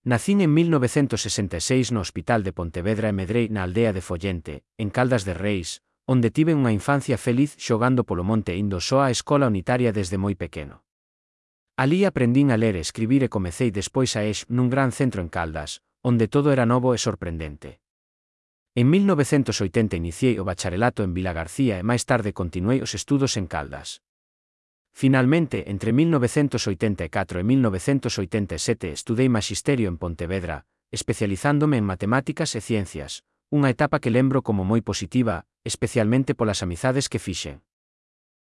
Nacín en 1966 no Hospital de Pontevedra e medrei na aldea de Follente, en Caldas de Reis, onde tiven unha infancia feliz xogando polo monte e indo só á escola unitaria desde moi pequeno. Alí aprendín a ler e escribir e comecei despois a EX nun gran centro en Caldas, onde todo era novo e sorprendente. En 1980 iniciei o bacharelato en Vilagarcía e máis tarde continuei os estudos en Caldas. Finalmente, entre 1984 e 1987 estudei maxisterio en Pontevedra, especializándome en matemáticas e ciencias, unha etapa que lembro como moi positiva, especialmente polas amizades que fixen.